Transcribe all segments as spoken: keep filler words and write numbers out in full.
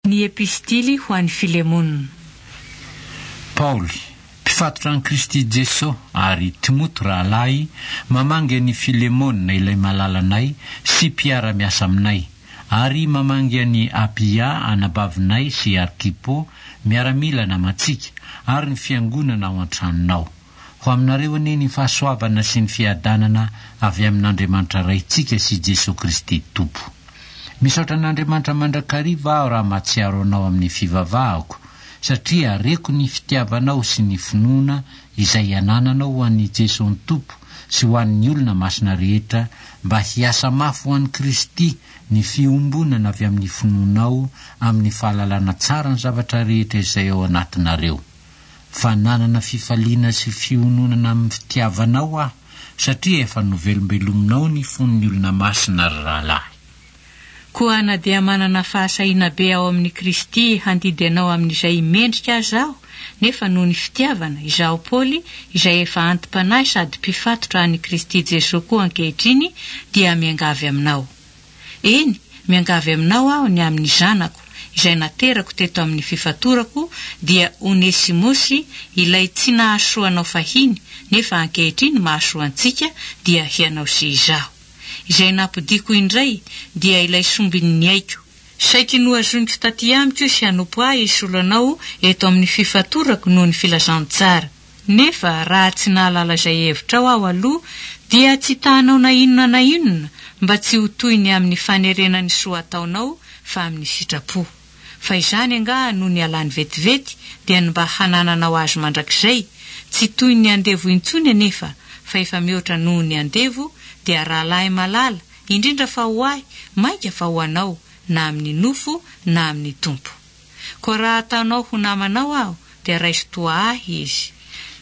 Ny Epistily ho an'i Filemona. Paoly, mpifatotra an'i Kristy Jeso, ary Timoty rahalahy, mamangy an'i Filemona ilay malalanay sy mpiara-miasa aminay, ary mamangy an'i Apia anabavinay sy Arkipo, miaramila namantsika, ary ny fiangonana ao an-tranonao. Ho aminareo anie ny fahasoavana sy ny fiadanana avy amin'Andriamanitra Raintsika sy Jeso Kristy Tompo. Misaotra an'Andriamanitra mandrakariva aho raha mahatsiaro anao amin'ny fivavahako, satria reko ny fitiavanao sy ny finoana izay anananao ho an'i Jeso Tompo sy ho an'ny olona masina rehetra, mba hiasa mafy ho an'i Kristy ny fiombonana avy amin'ny finoanao amin'ny fahalalana tsara ny zavatra rehetra izay ao anatinareo. Fa nanana fifaliana sy fiononana amin'ny fitiavanao aho, satria efa novelombelominao ny fon'ny olona masina, ry rahalahy. Koa na dia manana fahasahiana be ao amin'i Kristy handidy anao amin'izay mendrika aza aho, nefa noho ny fitiavana, izaho Paoly, izay efa anti-panahy sady mpifatotra an'i Kristy Jesoa koa ankehitriny, dia miangavy aminao. Eny, miangavy aminao aho ny amin'ny zanako, izay naterako teto amin'ny fifatorako, dia Onesimosy, ilay tsy nahasoa anao fahiny, nefa ankehitriny mahasoa antsika, dia hianao sy izaho. Izay nampodiako indray, dia ilay sombin'ny aiko. Saiky nohazoniko taty amiko sy hanompo ahy hisolo anao eto amin'ny fifatorako noho ny filazantsara. Nefa raha tsy nahalala izay hevitrao aho aloha, dia tsy tahanao na inona na inona, mba tsy ho toy ny amin'ny fanerena ny soa ataonao, fa amin'ny sitrapo. Fa izany angaha no nialany vetivety, dia ny mba hanananao azy mandrakizay, tsy toy ny andevo intsony anefa, fa efa mihoatra noho ny andevo, dia rahalahy malala, indrindra fa ho ahy, mainka fa ho anao, na amin'ny nofo na amin'ny Tompo. Koa raha ataonao ho namanao aho, dia raiso toa ahy izy.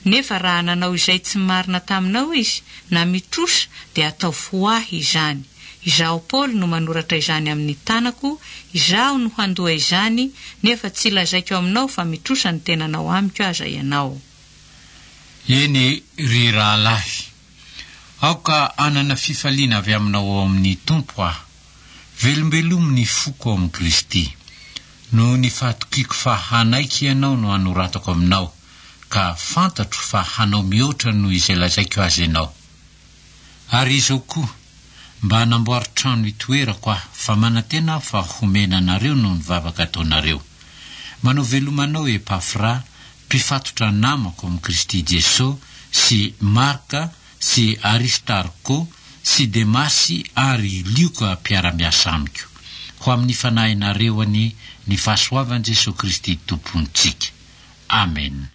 Nefa raha nanao izay tsy marina taminao izy, na mitrosa, dia ataovy ho ahy izany. Izaho Paoly no manoratra izany amin'ny tanako, izaho no handoa izany, nefa tsy lazaiko aminao fa mitrosa ny tenanao amiko aza ianao. Eny, ry rahalahy, aoka hanana fifaliana avy aminao ao amin'ny Tompo aho. Velombelomy ny foko ao amin'i Kristy. Noho ny fahatokiako fa hanaiky ianao no hanoratako aminao, ka fantatro fa hanao mihoatra noho izay lazaiko azy ianao. Ary izao koa, mba hanamboary trano itoerako aho, fa manantena aho fa homena anareo noho ny vavaka ataonareo. Manao veloma anao Epafra, mpifatotra namako amin'i Kristy Jeso, sy Marka, sy Aristarko, sy Demasy ary Lioka mpiara-miasa amiko. Ho amin'ny fanahinareo anie ny fahasoavan'i Jesoa Kristy Tompontsika. Amen.